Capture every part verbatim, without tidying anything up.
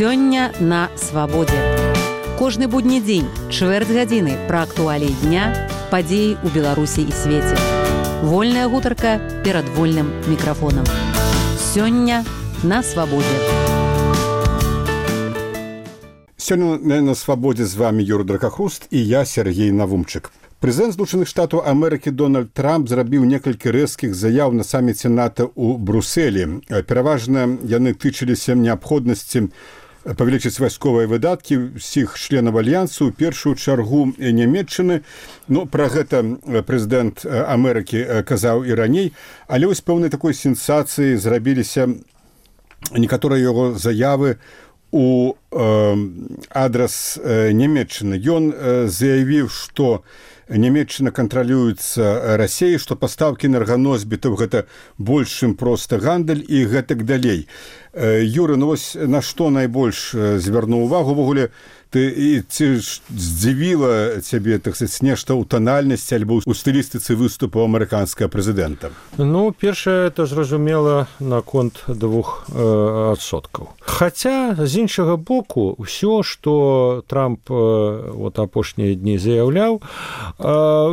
Сёння на свабодзе. Кожны будні дзень, чвэрць гадзіны пра актуаліі дня, падзеі ў Беларусі і свеце. Вольная гутарка перад вольным мікрафонам. Сёння на свабодзе. Сёння на свабодзе з вами Юрий Дракахруст і я, Сергей Навумчык. Прэзідэнт Злучаных Штатаў Амерыкі Дональд Трамп зрабіў некалькі рэзкіх заяў на саміце НАТО ў Брусэлі. Пераважна яны тычыліся неабходнасці павялічыць вайсковыя выдаткі ўсіх членаў альянсу, у першую чаргу Нямецчыны. Ну, пра гэта прэзідэнт Амерыкі казаў і раней, але вось пэўнай такой сенсацыі зрабіліся некаторыя яго заявы у э, адрас э, Нямецчыны. Ён э, заявіў, што Нямецчына кантралюецца Расіяй, што пастаўкі энерганосьбітаў гэта больш, чым проста гандаль і гэтак далей. Юры, ну вось на што найбольш звярнуў увагу ўвогуле? Ты і ці здзівіла цябе, так сказаць, нешта ў танальнасці альбо ў стылістыцы выступу амерыканскага прэзідэнта? Ну, першае, это зразумела наконт двух э, адсоткаў. Хаця, з іншага боку, ўсё, што Трамп э, вот, апошнія дні заяўляў, э,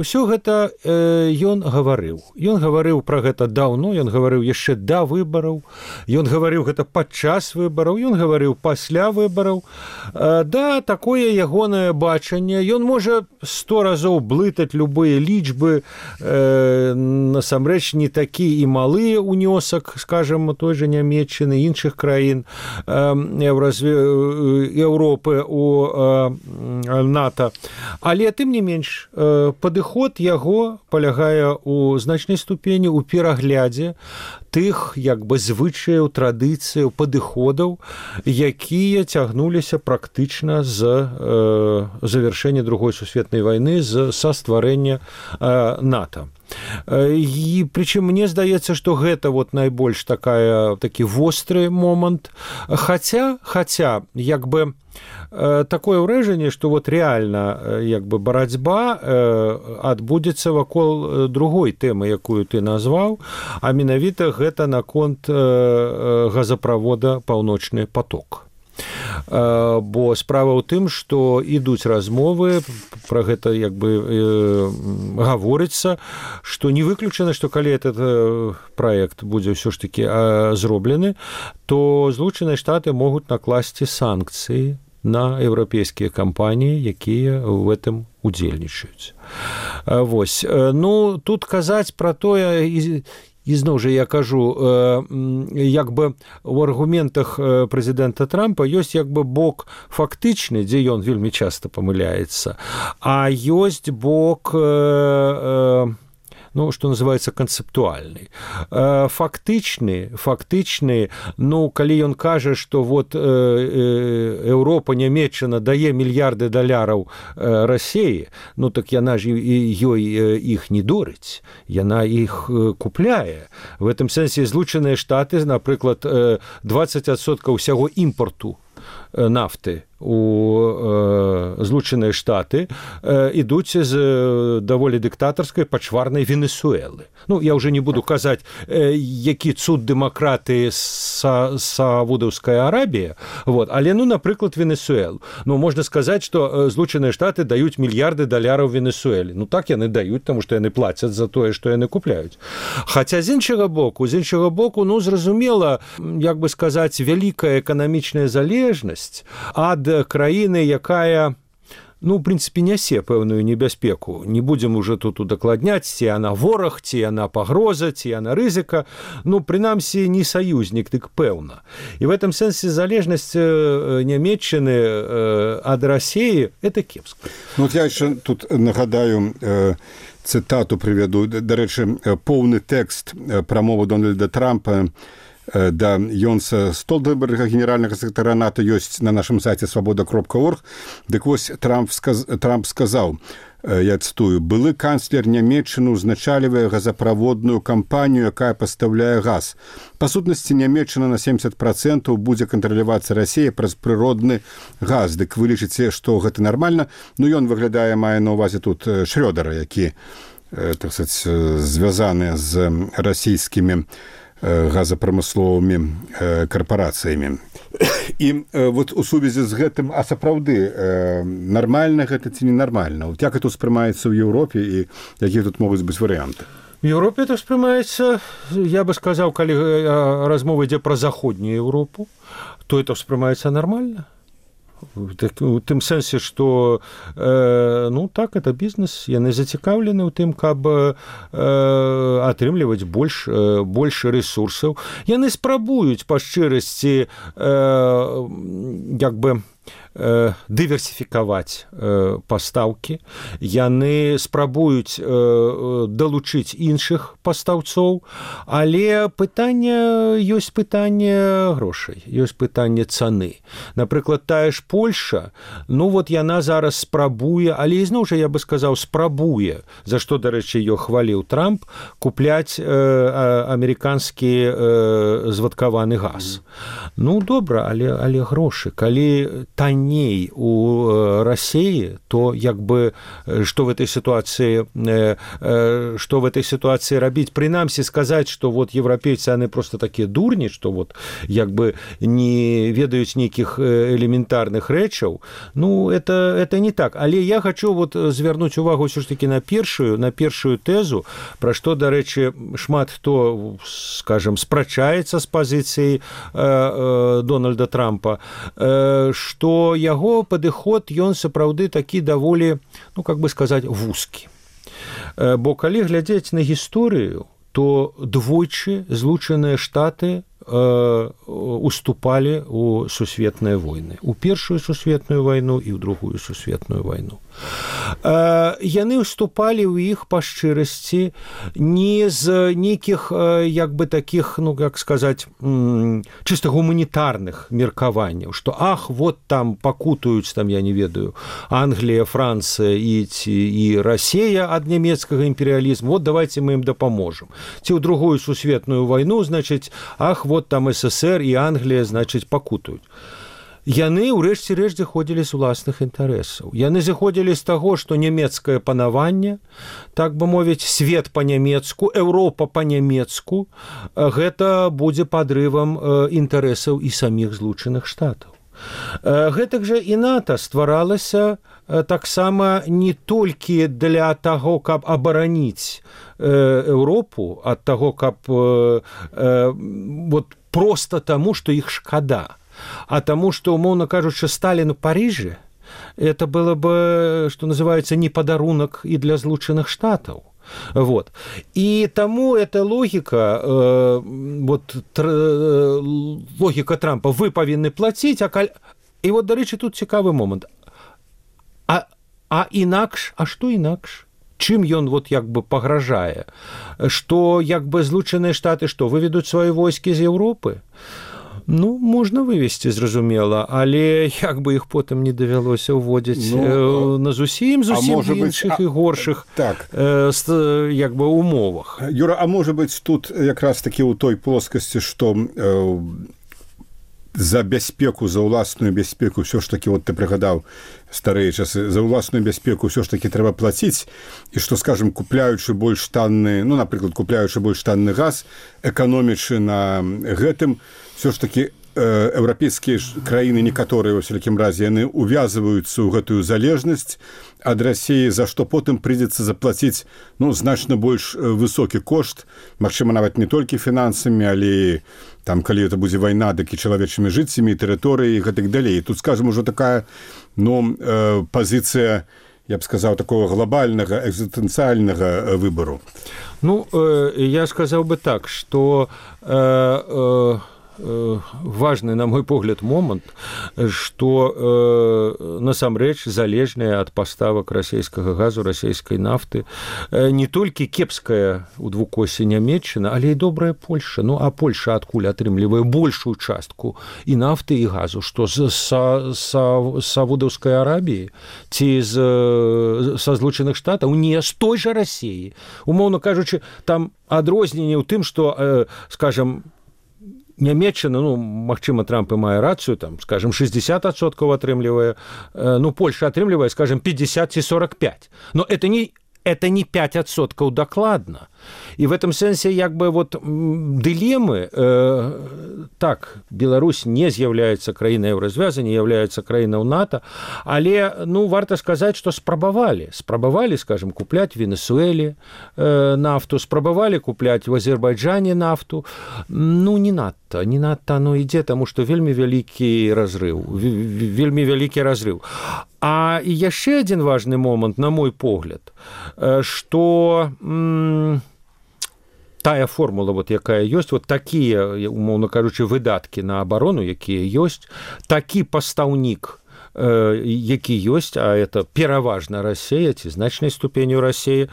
ўсё гэта э, ён гаварыў. Ён гаварыў пра гэта даўно, ён гаварыў яшчэ да выбараў, ён гаварыў гэта падчас выбараў, ён гаварыў пасля выбараў. Э, да, такое ягонае бачанне. Ён можа сто разоў блытаць любыя лічбы, э, насамрэч не такі і малы ўнёсак, скажем, той жа Нямецчыны, іншых краін э, Еўропы у э, НАТО. Але, тым не менш, э, падыход яго палягае ў значнай ступені ў пераглядзе тых, як бы, звычаяў, традыцыяў, падыходаў, якія цягнуліся практычна з э, завяршэння другой сусветнай вайны, з, са стварэння э, НАТО. І прычым мне здаецца, што гэта вот найбольш такая, такі востры момант. Хаця, хаця, як бы, такое ўражанне, што вот реально як бы барацьба адбудзецца вакол другой тэмы, якую ты назваў, а менавіта гэта наконт газаправода «Паўночны поток». Бо справа ў тым, што ідуць размовы, пра гэта як бы э, гаворыцца, што не выключана, што калі этот э, праект будзе ўсё ж такі э, зроблены, то Злучаныя Штаты могуць накласці санкцыі на еўрапейскія кампаніі, якія ў гэтым удзельнічаюць. Вось. Ну, тут казаць пра тое, і І зноў жа я кажу, як бы у аргументах прэзідэнта Трампа ёсць як бы бок фактычны, дзе ён вельмі часта памыляецца, а ёсць бок, ну, што называецца канцэптуальны. Фактычны, фактычны, ну, калі ён кажа, што вот Еўропа, Нямецчына дае мільярды даляраў Расіі, ну, так яна ж ёй іх не дорыць, яна іх купляе. В гэтым сэнсе Злучаныя Штаты, напрыклад, дваццаць адсоткаў усяго імпарту нафты у э, Злучаныя Штаты э, ідуць з э, даволі дыктатарскай пачварнай Венесуэлы. Ну, я ўжо не буду казаць, э, які цуд дэмакраты са, Саудаўская Арабія, вот. Але, ну, напрыклад, Венесуэлу. Ну, можна сказаць, што э, Злучаныя Штаты даюць мільярды даляраў Венесуэлі. Ну, так яны даюць, таму што яны плацяць за тое, што яны купляюць. Хаця, з іншага боку, з іншага боку, ну, зразумела, як бы сказаць, вялікая эканамічная залежнасць ад краіны, якая, ну, в прынцыпе, нясе пэўную небяспеку. Не будзем уже тут удакладняць, ці яна вораг, ці яна пагроза, ці яна рызыка. Ну, прынамсі, не саюзнік, дык пэўна. І в этом сэнсе залежнасць Нямецчыны ад Расіі – это кепска. Ну, вот я яшчэ тут нагадаю э, цытату прывяду. Дарэчы, поўны тэкст прамовы Дональда Трампа да Йонса Столтенберга, генеральнага сакратара НАТО, ёсць на нашым сайце свабода кропка орг. Дык вось Трамп, сказ... Трамп сказаў, я цытую, «Былы канцлер Нямецчыны узначальвае газаправодную кампанію, якая пастаўляе газ. Па сутнасці, Нямецчына на семьдесят процентов будзе кантралявацца Расія праз прыродны газ. Дык вы лічыце, што гэта нармальна? Ну, ён выглядае, мае на ўвазе тут Шрёдера, які, так сказаць, звязаны з расійскімі газапрамысловымі карпарацыямі. І вот у сувязі з гэтым, а сапраўды нармальна гэта ці ненармальна? Як гэта ўспрымаецца ў Еўропе і якія тут могуць быць варыянты? В Европе это воспринимается, я бы сказал, когда размова идет про Заходнюю Европу, то это воспринимается нормально. В тым сэнсе, што э, ну так это бізнес, яны зацікаўлены ў тым, каб э, атрымліваць больш э, больш рэсурсаў. Яны спрабуюць па шчырасці э, як бы э, дыверсіфікаваць э, пастаўкі. Яны спрабуюць э, далучыць іншых пастаўцоў, але пытанне ёсць пытанне грошай, ёсць пытанне цаны. Напрыклад, тая ж Польша, ну вот яна зараз спрабуе, але ізноў жа я бы сказаў спрабуе, за што, дарэчы, её хваліў Трамп, купляць э, амерыканскі э, звадкаваны газ. Ну добра, але але грошы, калі танней у э, Расіі, то як бы што в этой сітуацыі э, э, што в этой сітуацыі рабіць? Прынамсі сказаць, што вот еўрапейцы яны просто такія дурні, што вот як бы не ведаюць нейкіх элементарных рэчаў, ну это это не так, але я хочу вот звярнуць увагу ўсё ж таки на першую на першую тэзу, пра што, дарэчы, шмат хто, скажем, спрачаецца з пазіцыі э, э, Дональда Трампа, э, што яго падыход ён сапраўды такі даволі, ну как бы сказаць, вузкі. Э, бо калі глядзець на гісторыю, то двойчы Злучаныя Штаты уступали у сусветныя войны, у першую сусветную вайну і ў другую сусветную вайну. Яны уступалі ў іх па шчырасці не з нейкіх як бы такіх, ну как сказаць, чыста гуманітарных меркаванняў, што ах, вот там пакутаюць, там я не ведаю, Англія, Францыя і, і Расія ад нямецкага імперыялізму, вот давайте мы ім дапаможам. Ці ў другую сусветную вайну, значыць, ах, вот там СССР і Англія, значыць, пакутаюць. Яны ўрэшце рэшт зыходзілі з уласных інтарэсаў. Яны зыходзілі з таго, што нямецкае панаванне, так бы мовіць, свет па-нямецку, Еўропа па-нямецку, гэта будзе падрывам інтарэсаў і саміх Злучаных Штатаў. Гэтак жа і НАТО стваралася таксама не толькі для таго, каб абараніць Еўропу ад таго, каб вот проста таму, што іх шкада, а таму, што, умоўна кажучы, Сталін у Парыжы, это было бы, што называецца, не падарунак і для Злучаных Штатаў. Вот. І таму эта логіка, э, вот, тр, э, логіка Трампа, вы павінны плаціць, а каль... І вот, дарэчы, тут цікавы момант. А, а інакш, а што інакш? Чым ён вот як бы пагражае? Што як бы Злучаныя Штаты што, выведуць свае войскі з Еўропы? Ну, можна вывесці, зразумела, але як бы іх потым не давялося ўводзіць ну, на зусім зусім іншых і горшых так. э, як бы умовах. Юра, а можа быць тут якраз такі ў той плоскасці, што э, за бяспеку, за ўласную бяспеку ўсё ж такі, вот ты прыгадаў старыя часы, за ўласную бяспеку ўсё ж такі трэба плаціць, і што, скажем, купляючы больш танны, ну, напрыклад, купляючы больш танны газ, эканомічы на гэтым, все ж таки э, еўрапейскія краіны некаторыя, во всякім разе, яны увязываюцца ў гэтую залежнасць ад Расіі, за што потым прыйдзецца заплаціць, ну, значна больш высокі кошт, магчыма, нават не толькі фінансамі, але там, калі это будзе вайна, дык і чалавечымі жыццямі, тэрыторыі і гэтак далей. Тут, скажем, ужо такая, ну, э, пазіцыя, я б сказаў, такого глобальнага, экзістэнцыяльнага выбару. Ну, э, я сказаў бы так, што э, э, важны, на мой погляд, момант, што э, насамрэч залежная ад паставак расійскага газу, расійскай нафты не толькі кепская у двукосе Нямецчына, але і добрая Польша. Ну, а Польша адкуль атрымлівае большую частку і нафты, і газу, што з са, са, Саудаўскай Арабіі ці з, са Злучаных Штатаў, не з той жа Расіі. Умоўна кажучы, там адрозненне ў тым, што, э, скажам, Нямецчына, ну, магчыма, Трамп і мае рацыю, там, скажем, шестьдесят адсоткаў атрымлівае, ну, Польша атрымлівае, скажем, пятьдесят ці сорок пять. Но это не, это не пять адсоткаў дакладна. І в этом сэнсе як бы вот дылемы э, так, Беларусь не з'яўляецца краінай еўразвяза, не з'яўляецца краінай НАТО, але ну варта сказаць, што спрабавалі, спрабавалі, скажем, купляць Венесуэле э, нафту, спрабавалі купляць в Азербайджане нафту. Ну не надта, не надта оно ідзе, таму што вельмі вялікі разрыў, вельмі вялікі разрыў. А і яшчэ адзін важны момант, на мой погляд, што м- тая формула, вот, якая ёсць, вот такія, умоўна кажучы, выдаткі на абарону, якія ёсць, такі пастаўнік, э, які ёсць, а это пераважна Расія, ці значнай ступенью Расія,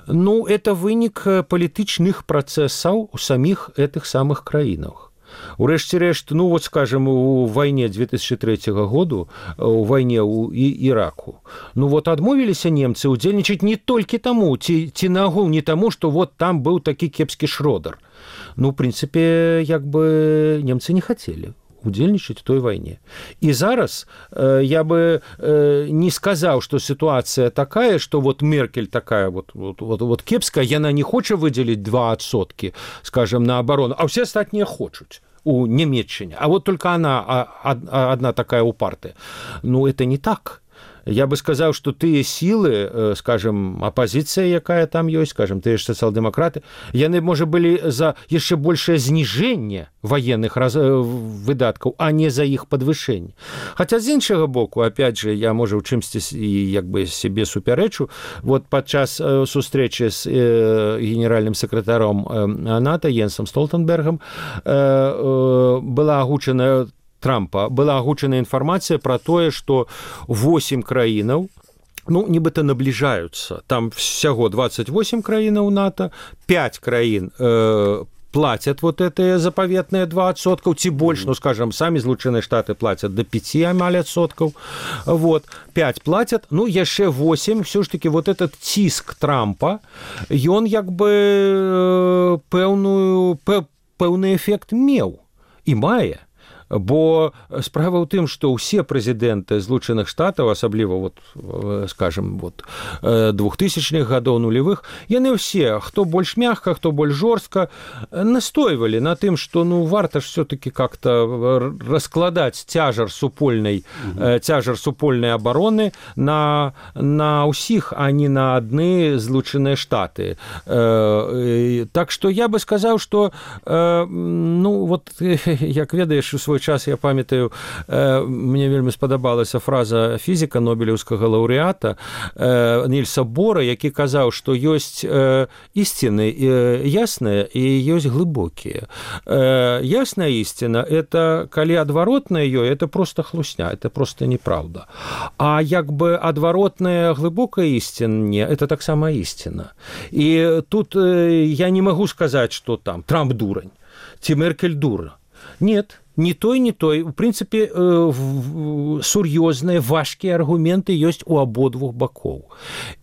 ну, это вынік палітычных працэсаў у саміх гэтых самых краінах. Урэшце рэшт, ну вот скажем, у вайне две тысячи третьего году, у вайне ў Іраку, ну вот адмовіліся немцы удзельнічаць не толькі таму, ці, ці нагул не таму, што вот там быў такі кепскі Шродар. Ну, в принципе, як бы немцы не хацелі удзельнічаць у той вайне. І зараз э, я бы э, не сказаў, што сітуацыя такая, што вот Меркель такая вот, вот, вот, вот кепская, яна не хоча выдзеліць два адсоткі, скажем, на абарону, а ўсе астатнія хочуць у Нямецчине. А вот только она одна такая упартая. Ну, это не так. Я бы сказал, что тыя силы, скажем, оппозиция, якая там есть, скажем, тыя ж социал-демократы, яны, может, были за яшчэ большее зніжэнне военных раз... выдаткаў, а не за іх подвышэнне. Хотя з іншага боку, опять же, я, может, у чымсьці і як бы себе супярэчу, вот падчас сустрэчы з э, генеральным сакратаром э, НАТО Йенсом Столтенбергом э, э, была агучана Трампа, была агучана інфармацыя пра тое, што восемь краінаў, ну, нібыта набліжаюцца. Там всяго двадцать восемь краінаў НАТО, пять краін э, платят вот это заповедные два адсоткаў, ці больш, ну, скажем, самі Злучаныя Штаты платят до пяти амаль адсоткаў, вот, пять платят, ну, яшчэ восемь, все ж таки вот этот ціск Трампа, ён як бы пэўную, пэўны эфект меў і мае. Бо справа ў тым, што ўсе прэзідэнты Злучаных Штатаў, асабліва вот, скажем, вот, двухтысячных гадоў нулевых, яны ўсе, хто больш мягка, хто больш жорстка, настойвалі на тым, што ну варта ж все-таки как-то раскладаць цяжар супольнай, mm-hmm. цяжар супольнай абароны на, на ўсіх, а не на адны Злучаныя Штаты. Так што я бы сказаў, што ну вот, як ведаеш, у свой час, я памятаю, э, мне вельмі спадабалася фраза фізіка нобелеўскага лаўрэата э, Нільса Бора, які казаў, што ёсць э, ісціны э, ясныя і ёсць глыбокія. Э, ясная ісціна – это калі адваротная ёй, это просто хлусня, это просто неправда. А як бы адваротная глыбокая ісціна, не, это таксама ісціна. І тут э, я не магу сказаць, што там Трамп дурань, ці Меркель дура. Нет, ни той, ни той. В принципе, э, сур'ёзныя, важкія аргументы ёсць у абодвух бакоў.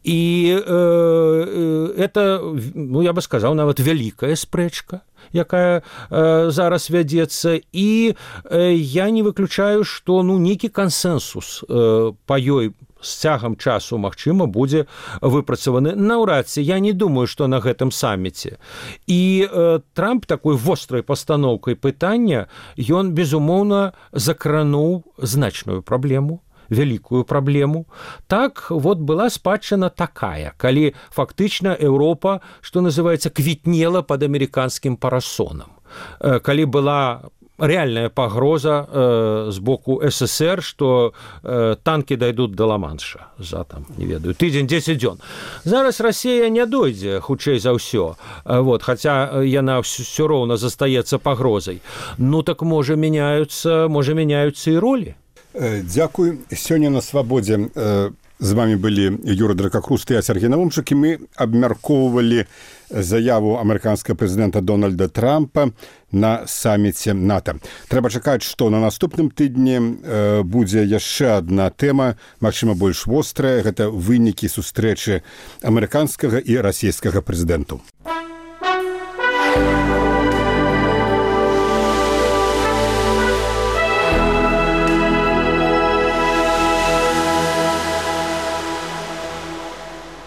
І э, это, ну, я бы сказаў, нават вялікая спрэчка, якая э, зараз вядзецца. І э, я не выключаю, што ну, нейкі кансэнсус э, па ёй з цягам часу, магчыма, будзе выпрацаваны. Наўрад ці, я не думаю, што на гэтым саміце. І э, Трамп такой вострай пастаноўкай пытання, ён, безумоўна, закрануў значную праблему, вялікую праблему. Так, вот была спадчына такая, калі фактычна Еўропа, што называецца, квітнела пад амерыканскім парасонам. Э, калі была реальная пагроза э, з боку СССР, што э, танкі дайдуць да Ла-Манша за, там, не ведаю, тыдзень, дзесяць дзён. Зараз Расія не дойдзе, хутчэй за ўсё, вот, хаця яна ўсё роўна застаецца пагрозай. Ну, так, можа, мяняюцца, можа, мяняюцца і ролі. Дзякуй. Сёння на Свабодзе з вами былі Юра Дракахруст і я, Сергей Навумчык, і мы абмяркоўвалі заяву амерыканскага прэзідэнта Дональда Трампа на саміце НАТО. Трэба чакаць, што на наступным тыдні э, будзе яшчэ адна тэма, магчыма, больш вострая, гэта вынікі сустрэчы амерыканскага і расійскага прэзідэнтаў.